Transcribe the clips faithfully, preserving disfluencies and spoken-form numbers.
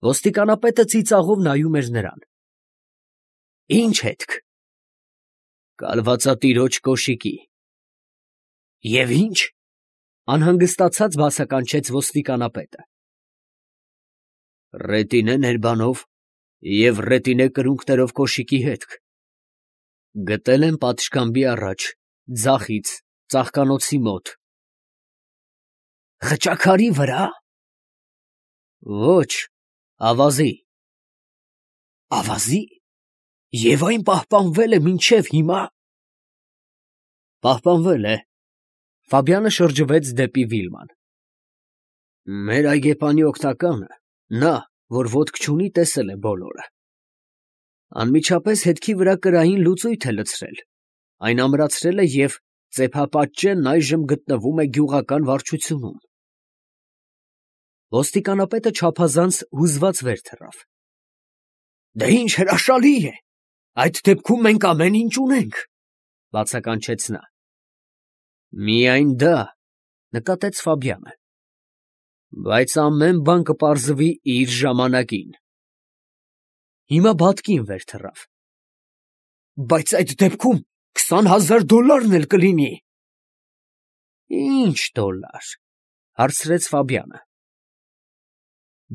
Ոստիկանապետը ծիծաղով նայում էր նրան։ ֊ Ի՞նչ հետք։ ֊ Կալվածատիրոջ կոշիկի։ ֊ Եվ ի՞նչ, ֊ անհանգստացած բացականչեց ոստիկանապետը։ ֊ Ռետինե ներբանով և ռետինե կրունկներով կոշիկի հետք. գտել եմ պատշգամբի առաջ, ձախից, ծաղկանոցի մոտ։ ֊ Խճաքարի վրա։ ֊ Ոչ, ավազի։ ֊ Ավազի, և այն պահպանվել է մինչև հիմա։ ֊ Պահպանվել է։ Ֆաբյանը շրջվեց դեպի Վիլման։ Մեր այգեպանի օգնականը, նա, որ ոտք չունի, տեսել է բոլորը. անմիջապես հետքի վրա կրային լուծույթ է լցրել, այն ամրացրել է և ծեփապատճենն այժմ գտնվում է գյուղական վարչությունում։ Ոստիկանապետը չափազանց հուզված վեր թռավ։ ֊ Դե ինչ հրաշալի է, այդ դեպքում մենք ամեն ինչ ունենք, ֊ բացականչեց նա։ ֊ Միայն դա, ֊ նկատեց Ֆաբյանը, ֊ բայց ամեն բան կպարզվի իր ժամանակին։ Հիմա բատկին վեր թռավ։ ֊ Բայց այդ դեպքում քսան հազար դոլարն էլ կլինի։ ֊ Ի՞նչ դոլար, ֊ հարցրեց Ֆաբյանը։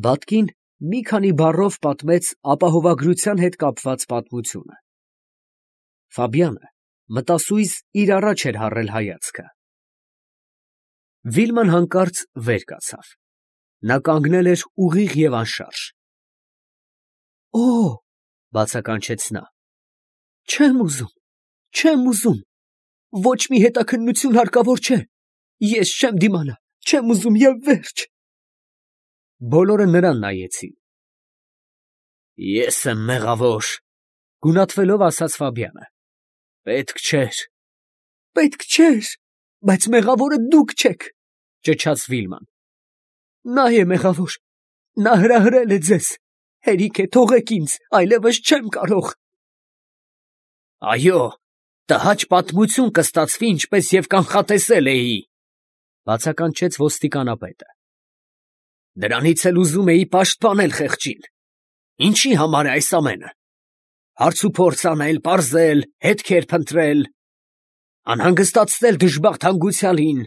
Բատկին մի քանի բառով պատմեց ապահովագրության հետ կապված պատմությունը։ Ֆաբյանը մտասույզ իր առաջ էր հառել հայացքը։ Վիլման հանկարծ վեր կացավ. նա կանգնել էր ուղիղ և անշարժ։ ֊ Օ՜, ֊ բացականչեց նա, ֊ չեմ ուզում, չեմ ուզում, ոչ մի հետաքննություն հարկավոր չէ, ես չեմ դիմանա, չեմ ուզում և վերջ։ Բոլորը նրան նայեցին։ ֊ Ես եմ մեղավոր, ֊ գունատվելով ասաց Ֆաբյանը։ ֊ Պետք չէր։ ֊ Պետք չէր, բայց մեղավորը դուք չեք, ֊ ճչաց Վիլման։ ֊ Նա է մեղավոր, նա հրահրել է ձեզ, հերիք է, թողեք ինձ, այլևս չեմ կարող։ ֊ Այո, տհաճ պատմություն կստացվի, ինչպես և կանխատեսել էի, ֊ բացականչեց ոստիկանապետը։ ֊ Դրանից էլ ուզում էի պաշտպանել խեղճին։ Ինչի համար է այս ամենը։ Հարցուփորձ անել, պարզել, հետքեր փնտրել, անհանգստացնել դժբախտ հանգուցյալին,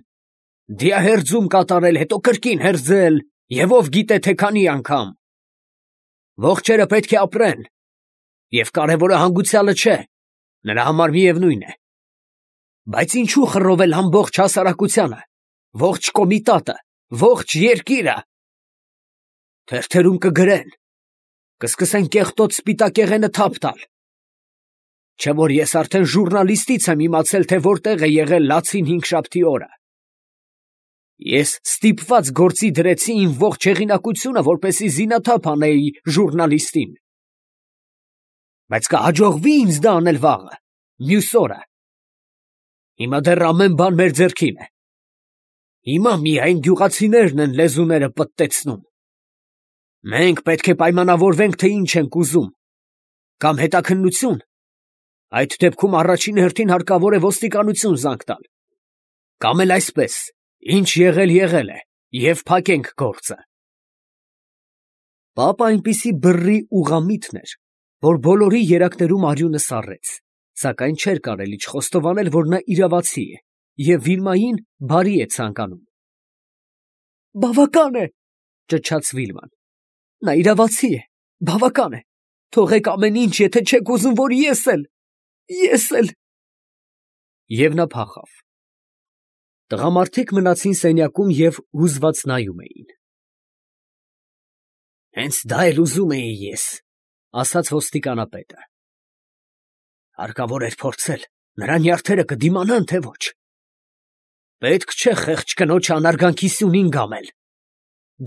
դիահերձում կատարել, հետո կրկին հերձել, և ով գիտե թե քանի անգամ։ Ողջերը պետք է ապրեն, և կարևորը հանգուցյալը չէ, նրա համար միևնույն է։ Բայց ինչու խռովել ամբողջ հասարակությանը, ողջ կոմիտատը, ողջ երկիրը։ Թերթերում կգրեն, կսկսեն կեղտոտ սպիտակեղենը թափ տալ։ Չէ որ ես արդեն ժուռնալիստից եմ իմացել, թե որտեղ է եղել լացին հինգշաբթի օրը։ Ես ստիպված գործի դրեցի իմ ողջ հեղինակությունը, որպեսզի զինաթափ անեի ժուռնալիստին։ Բայց կհաջողվի՞ ինձ դա անել վաղը, մյուս օրը։ Հիմա դեռ ամեն բան մեր ձեռքին է։ Հիմա միայն գյուղացիներն են լեզուները պտտեցնում։ Մենք պետք է պայմանավորվենք, թե ինչ ենք ուզում, կամ հետաքննություն, այդ դեպքում առաջին հերթին հարկավոր է ոստիկանություն զանգ տալ, կամ էլ այսպես, ինչ եղել եղել է, և փակենք գործը։ Պապը այնպիսի բռի ուղղամիտն էր, որ բոլորի երակներում արյունը սառեց, սակայն չէր կարելի չխոստովանել, որ նա իրավացի է և Վիլմային բարի է ցանկանում։ ֊ Բավական է, ֊ ճչաց Վիլման, ֊ նա իրավացի է, բավական է, թողեք ամեն ինչ, եթե չեք ուզում, որ ես էլ, ես էլ… Եվ նա փախավ։ Տղամարդիկ մնացին սենյակում և հուզված նայում էին։ ֊ Հենց դա էլ ուզում էի ես, ֊ ասաց ոստիկանապետը։ Հարկավոր էր փորձել, նրա նյարդերը կդիմանան, թե ոչ։ Պետք չէ խեղճ կնոջ անարգանքի սյունին գամել,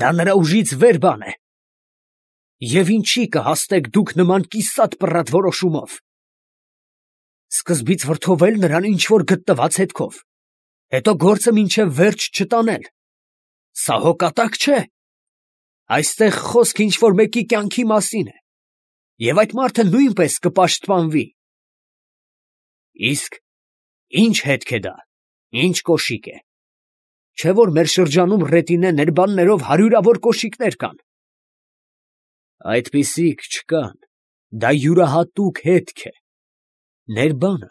դա նրա ուժից վեր բան է։ Եվ ինչի կհասնեք դուք նման կիսատ պռատ որոշումով։ Սկզբից վրդովել նրան ինչ֊որ գտնված հետքով, հետո գործը մինչև վերջ չտանել։ Սա հո կատակ չէ։ Այստեղ խոսք ինչ֊որ մեկի կյանքի մասին է, և այդ մարդը նույնպես կպաշտպանվի։ Իսկ ի՞նչ հետք է դա, ի՞նչ կոշիկ է։ Չէ որ մեր շրջանում ռետինե ներբաններով հարյուրավոր կոշիկներ կան։ Այդպիսիք չկան, դա յուրահատուկ հետք է, ներբանը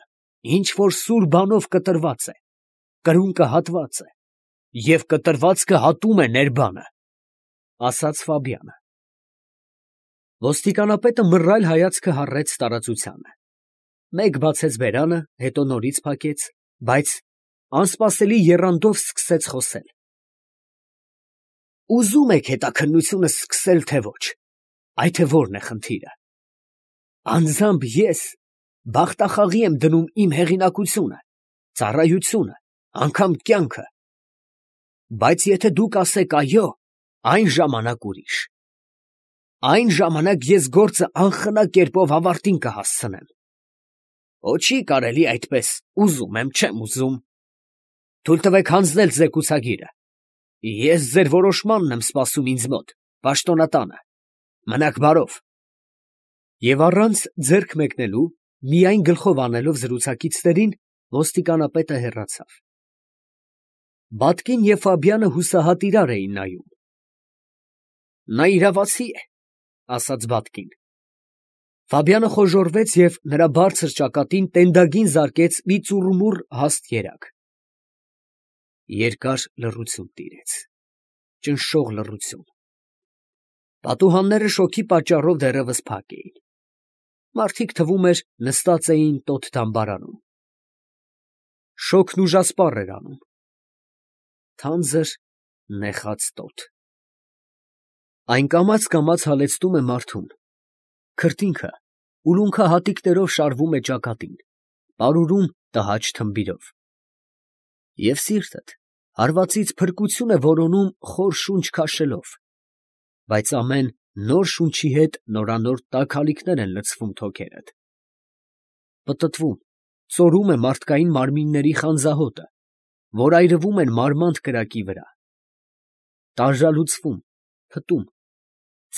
ինչ որ սուր բանով կտրված է, կրունկը հատված է, և կտրվածքը հատում է ներբանը, ֊ ասաց Ֆաբյանը։ Ոստիկանապետը մռայլ հայացքը հառեց տարածությանը, մեկ բացեց բերանը, հետո նորից փակեց, բայց անսպասելի եռանդով սկսեց խոսել։ Ուզում եք հետաքննությունը սկսել, թե ոչ, այդ է որն է խնդիրը։ Անձամբ ես բախտախաղի եմ դնում իմ հեղինակությունը, ծառայությունը, անգամ կյանքը, բայց եթե դուք ասեք այո, այն ժամանակ ուրիշ, այն ժամանակ ես գործը անխնա կերպով ավարտին կհասցնեմ։ Ոչ չի կարելի այդպես, ուզում եմ, չեմ ուզում։ Թույլ տվեք հանձնել զեկուցագիրը։ Ես ձեր որոշմանն եմ սպասում ինձ մոտ, պաշտոնատանը։ Մնաք բարով։ Եվ առանց ձեռք մեկնելու, միայն գլխով անելով զրուցակիցներին, ոստիկանապետը հեռացավ։ Բատկին և Ֆաբյանը հուսահատ իրար էին նայում։ Նա իրավացի է, ֊ ասաց Բատկին։ Ֆաբյանը խոժոռվեց և նրա բարձր ճակատին տենդագին զարկեց մի ծուռումուռ հաստ երակ։ Երկար լռություն տիրեց, ճնշող լռություն։ Պատուհանները շոգի պատճառով դեռևս փակ էին։ Մարդիկ, թվում էր, նստած էին տոտ դամբարանում։ Շոգն ուժասպառ էր անում։ Թանձր նեխած տոտ։ Այն կամաց֊կամաց հալեցնում է մարդուն, քրտինքը ուլունքահատիկներով շարվում է ճակատին, պարուրում տհաճ թմբիրով։ Եվ սիրտդ հարվածից փրկություն է որոնում խոր շունչ քաշելով, բայց ամեն նոր շունչի հետ նորանոր տաք ալիքներ են լցվում թոքերդ։ Պտտվում, ծորում է մարդկային մարմինների խանձահոտը, որ այրվում են մարմանդ կրակի վրա։ Տանժալուծվում, փտում,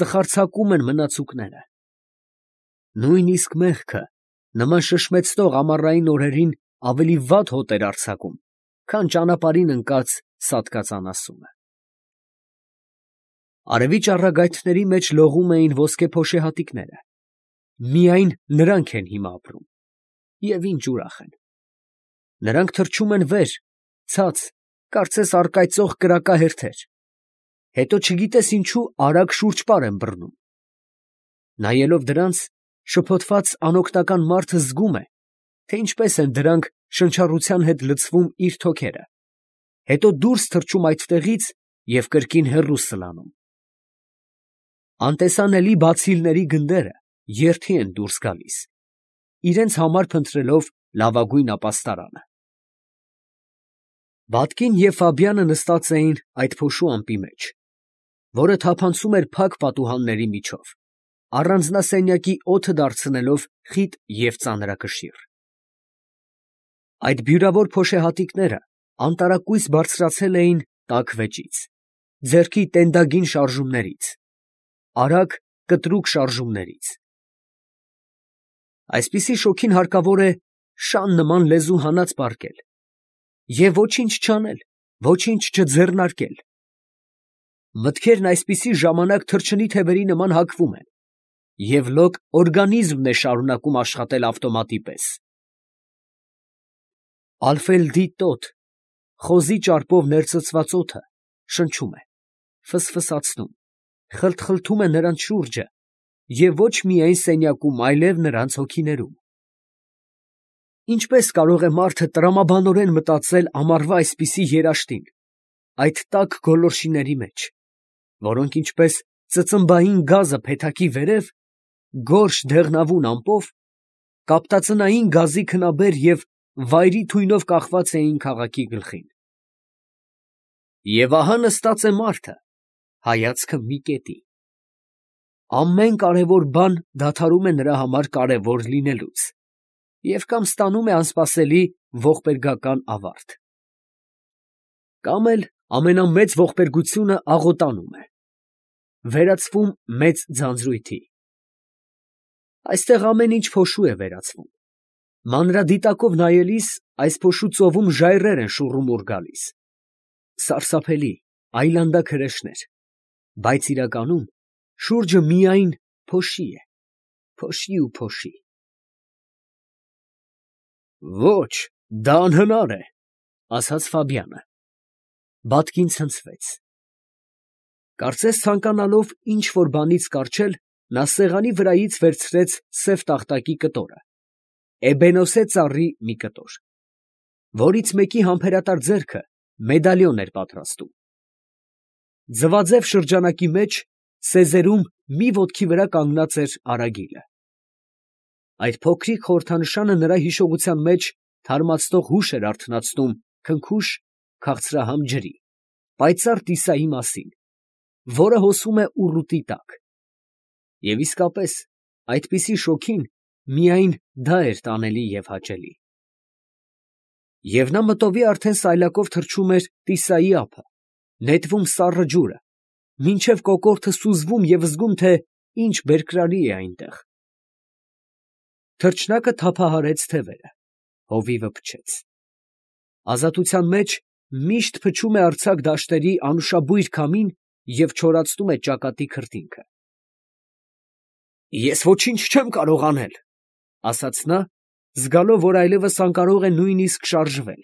ծխարցակում են մնացուկները։ Նույնիսկ մեղքը նման շշմեցնող ամառային օրերին ավելի վատ հոտ էր արձակում, քան ճանապարհին ընկած սատկած անասունը։ Արևի ճառագայթների մեջ լողում էին ոսկե փոշեհատիկները։ Միայն նրանք են հիմա ապրում, և ինչ ուրախ են։ Նրանք թռչում են վեր, ցած, կարծես առկայծող կրակահերթեր, հետո չգիտես ինչու արագ շուրջպար են բռնում։ Նայելով դրանց, շփոթված անօգնական մարդը զգում է, թե ինչպես են դրանք շնչառության հետ լցվում իր թոքերը, հետո դուրս թռչում այդտեղից և կրկին հեռու սլանում։ Անտեսանելի բացիլների գնդերը երթի են դուրս գալիս, իրենց համար փնտրելով լավագույն ապաստարանը։ Բատկին և Ֆաբյանը նստած էին այդ փոշու ամպի մեջ, որը թափանցում էր փակ պատուհանների միջով, առանձնասենյակի օդը դարձնելով խիտ և ծանրակշիռ։ Այդ բյուրավոր փոշեհատիկները անտարակույս բարձրացել էին տաք վեճից, ձեռքի տենդագին շարժումներից, արագ կտրուկ շարժումներից։ Այսպիսի շոգին հարկավոր է շան նման լեզու հանած պառկել և ոչինչ չանել, ոչինչ չձեռնարկել։ Մտքերն այսպիսի ժամանակ թռչնի թևերի նման հակվում են, և լոկ օրգանիզմն է շարունակում աշխատել ավտոմատի պես։ Ալֆելդի տոտ, խոզի ճարպով ներծծված օդը շնչում է, ֆսֆսացնում, խլթխլթում է նրանց շուրջը և ոչ միայն սենյակում, այլև նրանց հոգիներում։ Ինչպե՞ս կարող է մարդը տրամաբանորեն մտածել ամառվա այսպիսի երաշտին, այդ տաք գոլորշիների մեջ, որոնք ինչպես ծծմբային գազը փեթակի վերև, գորշ դեղնավուն ամպով, կապտածնային գազի քնաբեր և վայրի թույնով կախված էին քաղաքի գլխին։ Եվ ահա նստած է մարդը, հայացքը մի կետի։ Ամեն կարևոր բան դադարում է նրա համար կարևոր լինելուց և կամ ստանում է անսպասելի ողբերգական ավարտ, կամ էլ ամենամեծ ողբերգությունը աղոտանում է, վերածվում մեծ ձանձրույթի։ Այստեղ ամեն ինչ փոշու է վերածվում։ Մանրադիտակով նայելիս այս փոշու ծովում ժայռեր են շուռումուռ գալիս, սարսափելի, այլանդակ հրեշներ, բայց իրականում Շուրջը միայն փոշի է, փոշի ու փոշի։ Ոչ, դա անհնար է, ասաց Ֆաբիանը։ Բատկին ցնցվեց։ Կարծես ցանկանալով ինչ որ բանից կառչել, նա սեղանի վրայից վերցրեց սև տախտակի կտորը, էբենոսե ծառի մի կտոր, որից մեկի համբերատար ձեռքը մեդալիոն էր պատրաստում։ Ձվաձև շրջանակի մեջ սեզերում մի ոտքի վրա կանգնած էր արագիլը։ Այդ փոքրիկ խորհրդանշանը նրա հիշողության մեջ թարմացնող հուշ էր արթնացնում քնքուշ քաղցրահամ ջրի, պայծառ տիսայի մասին, որը հոսում է ուռուտի տակ։ Եվ իսկապես այդպիսի շոգին միայն դա էր տանելի և հաճելի։ Եվ նա մտովի արդեն սայլակով թռչում էր տիսայի ափը, նետվում սառը ջուրը, մինչև կոկորդը սուզվում և զգում, թե ինչ բերկրալի է այնտեղ։ Թռչնակը թափահարեց թևերը, հովիվը փչեց։ Ազատության մեջ միշտ փչում է արձակ դաշտերի անուշաբույր քամին և չորացնում է ճակատի քրտինքը։ Ես ոչինչ չեմ կարող անել, ֊ ասաց նա, զգալով, որ այլևս անկարող է նույնիսկ շարժվել։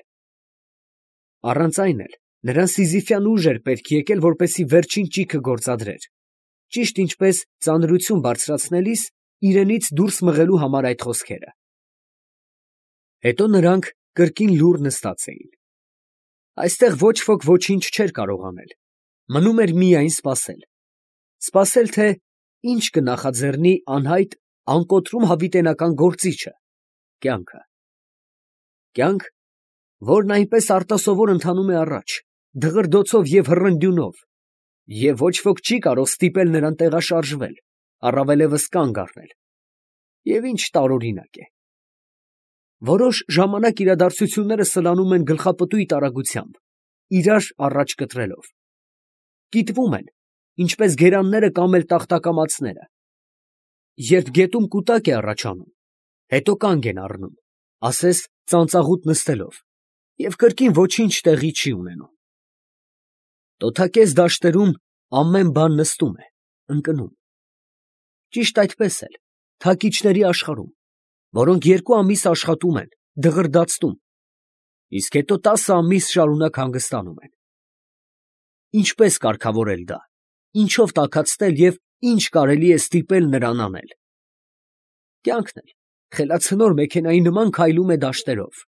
Առանց այն էլ նրան սիզիֆյան ուժ էր պետք եկել, որպեսզի վերջին ճիգը գործադրեր, ճիշտ ինչպես ծանրություն բարձրացնելիս իրենից դուրս մղելու համար այդ խոսքերը։ Հետո նրանք կրկին լուռ նստած էին։ Այստեղ ոչ ոք ոչինչ չէր կարող անել, մնում էր միայն սպասել, սպասել, թե ինչ կնախաձեռնի անհայտ անկոտրում հավիտենական գործիչը, կյանքը։ Կյանք, որն այնպես արտասովոր ընթանում է առաջ, դղրդոցով և հռնդյունով, և ոչ ոք չի կարող ստիպել նրան տեղաշարժվել, առավելևս կանգ առնել, և ինչ տարօրինակ է։ Որոշ ժամանակ իրադարձությունները սլանում են գլխապտույտ արագությամբ, իրար առաջ կտրելով, կիտվում են, ինչպես գերանները կամ էլ տախտակամածները, երբ գետում կուտակ է առաջանում, հետո կանգ են առնում, ասես ծանծաղուտ նստելով, և կրկին ոչինչ տեղի չի ունենում։ Տոթակեզ դաշտերում ամեն բան նստում է, ընկնում։ Ճիշտ այդպես էլ թակիչների աշխարհում, որոնք երկու ամիս աշխատում են, դղրդացնում, իսկ հետո տասը ամիս շարունակ հանգստանում են։ Ինչպե՞ս կարգավորել դա, ինչով տաքացնել և ինչ կարելի է ստիպել նրան անել։ Կյանքն էլ խելացնոր մեքենայի նման քայլում է դաշտերով։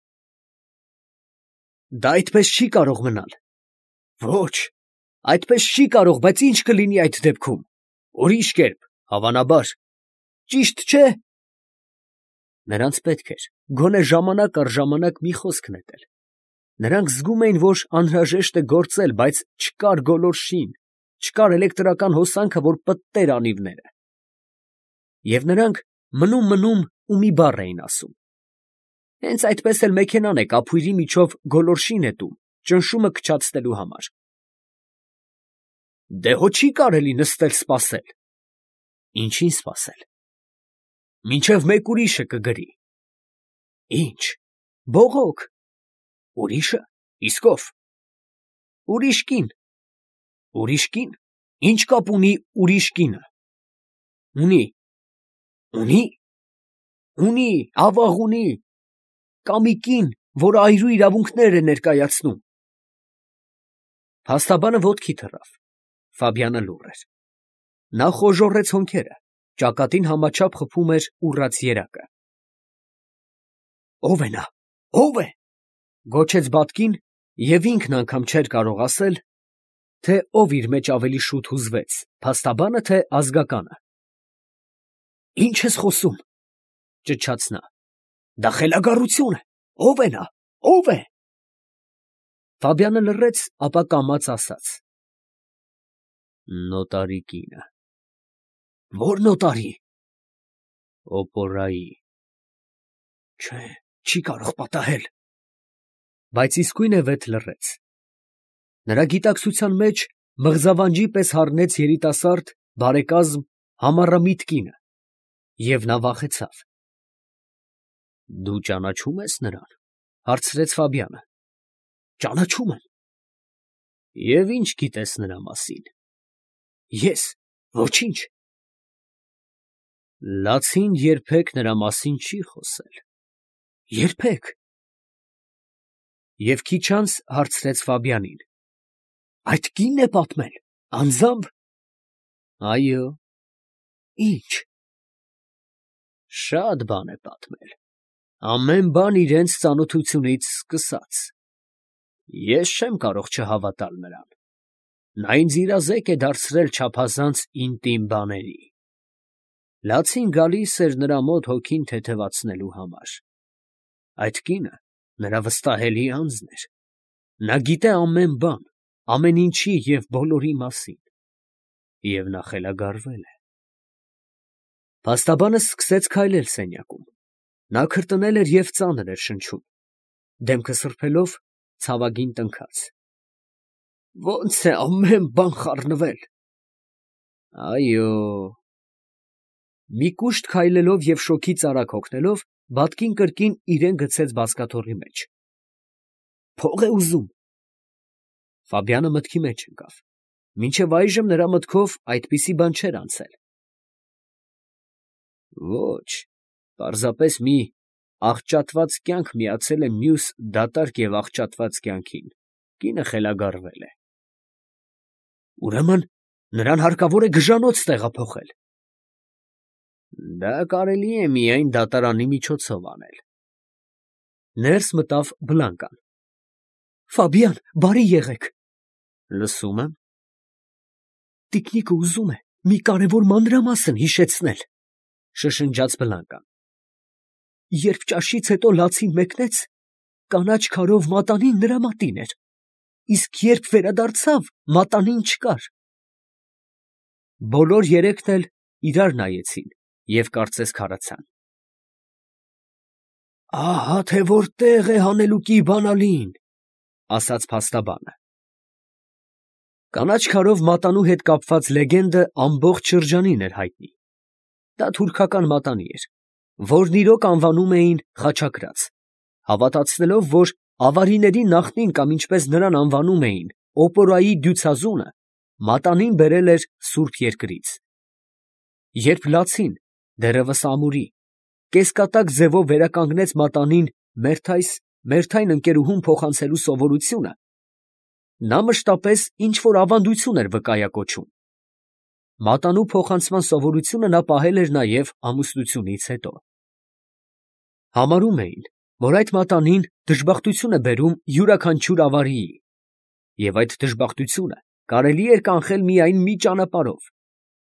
Դա այդպես չի կարող մնալ։ Ոչ, այդպես չի կարող, բայց ի՞նչ կլինի այդ դեպքում։ Ուրիշ կերպ, հավանաբար, ճիշտ չէ՞։ Նրանց պետք էր գոնե ժամանակ առ ժամանակ մի խոսք նետել։ Նրանք զգում էին, որ անհրաժեշտ է գործել, բայց չկար գոլորշին, չկար էլեկտրական հոսանքը, որ պտտեր անիվները։ Եվ նրանք մնում֊մնում ու մի բառ էին ասում։ Հենց այդպես էլ մեքենան է կափույրի միջով գոլորշի նետում, ճնշումը քչացնելու համար։ Դե հո չի կարելի նստել սպասել։ Ինչի՞ն սպասել։ Մինչև մեկ ուրիշը կգրի։ Ի՞նչ, բողոք։ Ուրիշը, իսկ ո՞վ։ Ուրիշ կին։ Ուրիշ կին, ի՞նչ կապ ունի ուրիշ կինը։ Ունի։ Ունի։ Ունի, ավաղ ունի։ Կա մի կին, որը այրու իրավունքներ է ներկայացնում։ Փաստաբանը ոտքի թռավ։ Ֆաբիանը լուռ էր։ Նա խոժոռեց հոնքերը, ճակատին համաչափ խփում էր ուռած երակը։ Ո՞վ է նա, ո՞վ է, գոչեց բատկին, և ինքն անգամ չէր կարող ասել, թե ով իր մեջ ավելի շուտ հուզվեց, փաստաբանը, թե ազգականը։ Ի՞նչ ես խոսում, ճչաց նա։ Դա խելագարություն է, ո՞վ է նա, ո՞վ է։ Ֆաբիանը լռեց, ապա կամաց ասաց. Նոտարի կինը։ Ո՞ր նոտարի։ Օպորայի։ Չէ, չի կարող պատահել։ Բայց իսկույն է վեթ լռեց։ Նրա գիտակցության մեջ մղձավանջի պես հառնեց երիտասարդ, բարեկազմ, համառամիտ կինը, և նա վախեցավ։ Դու ճանաչո՞ւմ ես նրան, ֊ հարցրեց Ֆաբիանը։ Ճանաչում եմ։ Եվ ի՞նչ գիտես նրա մասին։ Ես ոչինչ, Լացին երբեք նրա մասին չի խոսել։ Երբեք։ Եվ քիչ անց հարցրեց Ֆաբիանին. Այդ կինն է պատմել, անձամբ։ Այո։ Ի՞նչ։ Շատ բան է պատմել, ամեն բան իրենց ծանոթությունից սկսած։ Ես չեմ կարող չհավատալ նրան։ Նա ինձ իրազեկ է դարձրել չափազանց ինտիմ բաների։ Լացին գալիս էր նրա մոտ հոգին թեթևացնելու համար։ Այդ կինը նրա վստահելի անձն էր։ Նա գիտե ամեն բան, ամեն ինչի և բոլորի մասին։ Եվ նա խելագարվել է։ Փաստաբանը սկսեց քայլել սենյակում։ Նա քրտնել էր և ծանր էր շնչում, դեմքը սրբելով ցավագին տնքաց։ Ո՞նց է ամեն բան խառնվել։ Այո։ Մի կուշտ քայլելով և շոգից արագ հոգնելով, բադկին կրկին իրան գցեց բազկաթոռի մեջ։ Փող է ուզում։ Ֆաբիանը մտքի մեջ ընկավ։ Մինչև այժմ նրա մտքով այդպիսի բան չէր անցել։ Ոչ, պարզապես մի աղճատված կյանք միացել է մյուս դատարկ և աղճատված կյանքին, կինը խելագարվել է։ Ուրեմն նրան հարկավոր է գժանոց տեղափոխել։ Դա կարելի է միայն դատարանի միջոցով անել։ Ներս մտավ Բլանկան։ Ֆաբիան, բարի եղեք։ Լսում եմ։ Տիկնիկը ուզում է մի կարևոր մանրամասն հիշեցնել, շշնջաց Բլանկան։ Երբ ճաշից հետո լացին մեկնեց, կանաչ քարով մատանին նրա մատին էր, իսկ երբ վերադարձավ, մատանին չկար։ Բոլոր երեքն էլ իրար նայեցին և կարծես քարացան։ Ահա թե որտեղ է հանելուկի բանալին, ասաց փաստաբանը։ Կանաչ քարով մատանու հետ կապված լեգենդը ամբողջ շրջանին էր հայտնի։ Դա թուրքական մատանի էր, որն իրոք անվանում էին խաչակրաց, հավատացնելով, որ ավարիների նախնին կամ ինչպես նրան անվանում էին օպորայի դյուցազունը, մատանին բերել էր սուրբ երկրից։ Երբ լացին, դեռևս ամուրի, կեսկատակ ձևով վերականգնեց մատանին մերթայս մերթայն ընկերուհուն փոխանցելու սովորությունը, նա մշտապես ինչ֊որ ավանդություն էր վկայակոչում։ Մատանու փոխանցման սովորությունը նա պահել էր նաև ամուսնությունից հետո։ Համարում էին, որ այդ մատանին դժբախտություն է բերում յուրաքանչյուր ավարիի, և այդ դժբախտությունը կարելի էր կանխել միայն մի ճանապարհով՝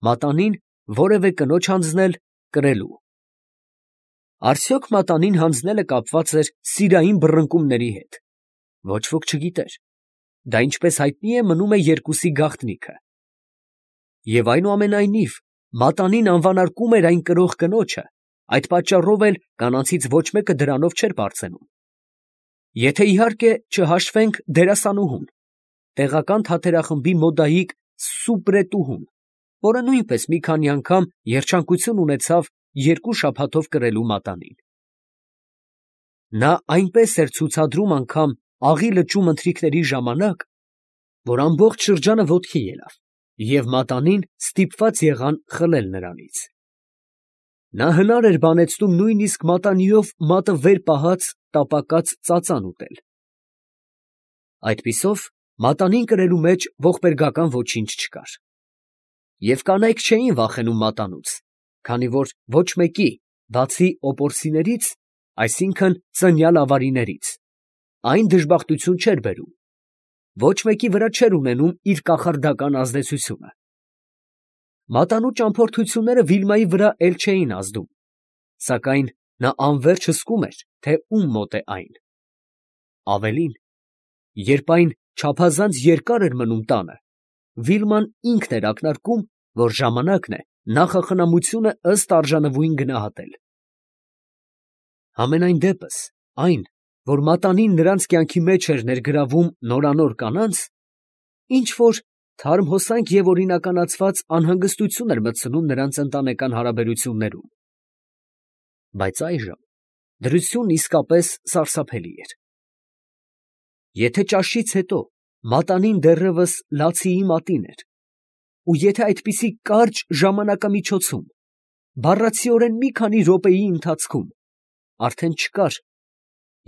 մատանին որևէ կնոջ հանձնել կրելու։ Արդյոք մատանին հանձնելը կապված էր սիրային բռնկումների հետ։ Ոչ ոք չգիտեր։ Դա ինչպես հայտնի է, մնում է երկուսի գաղտնիքը։ Եվ այնուամենայնիվ մատանին անվանարկում էր այն կրող կնոջը, այդ պատճառով էլ կանանցից ոչ մեկը դրանով չէր պարծենում։ Եթե իհարկե չհաշվենք դերասանուհուն, տեղական թատերախմբի մոդայիկ սուպրետուհուն, որը նույնպես մի քանի անգամ երջանկություն ունեցավ երկու շաբաթով կրելու մատանին։ Նա այնպես էր ցուցադրում անգամ աղի լճում ընթրիքների ժամանակ, որ ամբողջ շրջանը ոտքի ելավ, և մատանին ստիպված եղան խլել նրանից։ Նա հնար էր բանեցնում նույնիսկ մատանիով մատը վեր պահած տապակած ծածան ուտել։ Այդպիսով մատանին կրելու մեջ ողբերգական ոչինչ չկար։ Եվ կանայք չէին վախենում մատանուց, քանի որ ոչ մեկի, բացի օպորսիներից, այսինքն ծնյալ ավարիներից, այն դժբախտություն չէր բերում, ոչ մեկի վրա չէր ունենում իր կախարդական ազդեցությունը։ Մատանու ճամփորդությունները Վիլմայի վրա էլ չէին ազդում, սակայն նա անվերջ հսկում էր, թե ում մոտ է այն։ Ավելին, երբ այն չափազանց երկար էր մնում տանը, Վիլման ինքն էր ակնարկում, որ ժամանակն է նախախնամությունը ըստ արժանվույն գնահատել։ Համենայն դեպս, այն, որ մատանին նրանց կյանքի մեջ էր ներգրավում նորանոր կանանց, ինչ֊որ թարմ հոսանք և օրինականացված անհանգստություն էր մտցնում նրանց ընտանեկան հարաբերություններում։ Բայց այժմ դրությունն իսկապես սարսափելի էր։ Եթե ճաշից հետո մատանին դեռևս լացիի մատին էր, ու եթե այդպիսի կարճ ժամանակամիջոցում բառացիորեն մի քանի րոպեի ընթացքում արդեն չկար,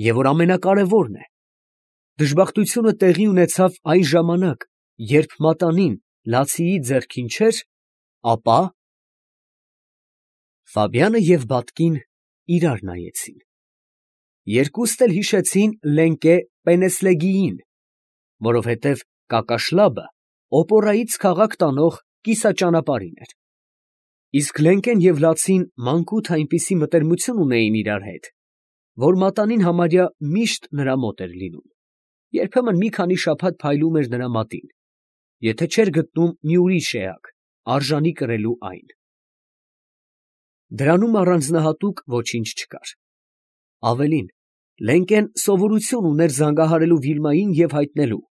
և որ ամենակարևորն է, դժբախտությունը տեղի ունեցավ այն ժամանակ, երբ մատանին Լացիի ձեռքին չէր, ապա… Ֆաբյանը և բատկին իրար նայեցին. երկուստ էլ հիշեցին Լենկե Պենեսլեգիին, որովհետև Կակաշլաբը օպորայից քաղաք տանող կիսաճանապարհին էր, իսկ Լենկեն և Լացին մանկուց այնպիսի մտերմություն ունեին իրար հետ, որ մատանին համարյա միշտ նրա մոտ էր լինում, երբեմն մի քանի շաբաթ փայլում էր նրա մատին, եթե չէր գտնում մի ուրիշ էակ, արժանի կրելու այն. դրանում առանձնահատուկ ոչինչ չկար, ավելին, Լենկեն սովորություն ուներ զանգահարելու Վիլմային և հայտնելու.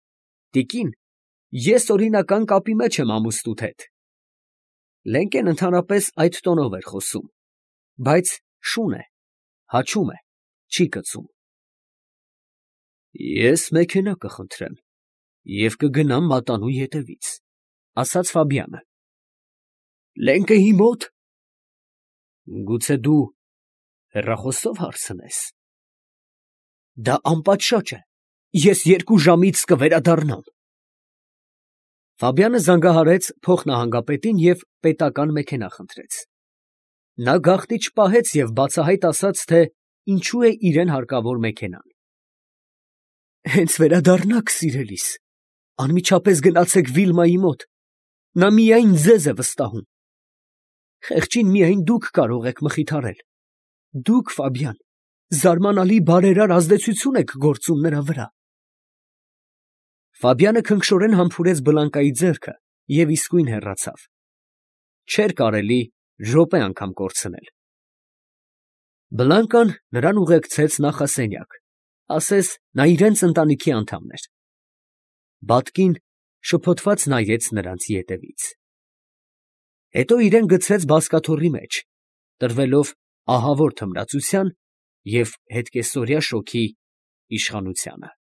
տիկին, ես օրինական կապի մեջ եմ ամուսնուդ հետ… Լենկեն ընդհանրապես այդ տոնով էր խոսում, բայց շուն է, հաչում է, չի կծում։ Ես մեքենա կխնդրեմ և կգնամ մատանու ետևից, ֊ ասաց Ֆաբյանը։ Լենկեի մո՞տ։ Գուցե դու հեռախոսով հարցնես։ Դա անպատշաճ է, ես երկու ժամից կվերադառնամ։ Ֆաբյանը զանգահարեց փոխնահանգապետին և պետական մեքենա խնդրեց։ Նա գաղտնի չպահեց և բացահայտ ասաց, թե ինչու է իրան հարկավոր մեքենան։ Հենց վերադառնաք, սիրելիս, անմիջապես գնացեք Վիլմայի մոտ, նա միայն ձեզ է վստահում։ Խեղճին միայն դուք կարող եք մխիթարել, դուք, Ֆաբյան, զարմանալի բարերար ազդեցություն եք գործում նրա վրա։ Ֆաբյանը քնքշորեն համբուրեց Բլանկայի ձեռքը և իսկույն հեռացավ։ Չէր կարելի րոպե անգամ կորցնել։ Բլանկան նրան ուղեկցեց նախասենյակ, ասես նա իրանց ընտանիքի անդամն էր։ Բատկին շփոթված նայեց նրանց ետևից։ Հետո իրան գցեց բազկաթոռի մեջ, տրվելով ահավոր թմրացության և հետկեսօրյա շոգի իշխանությանը։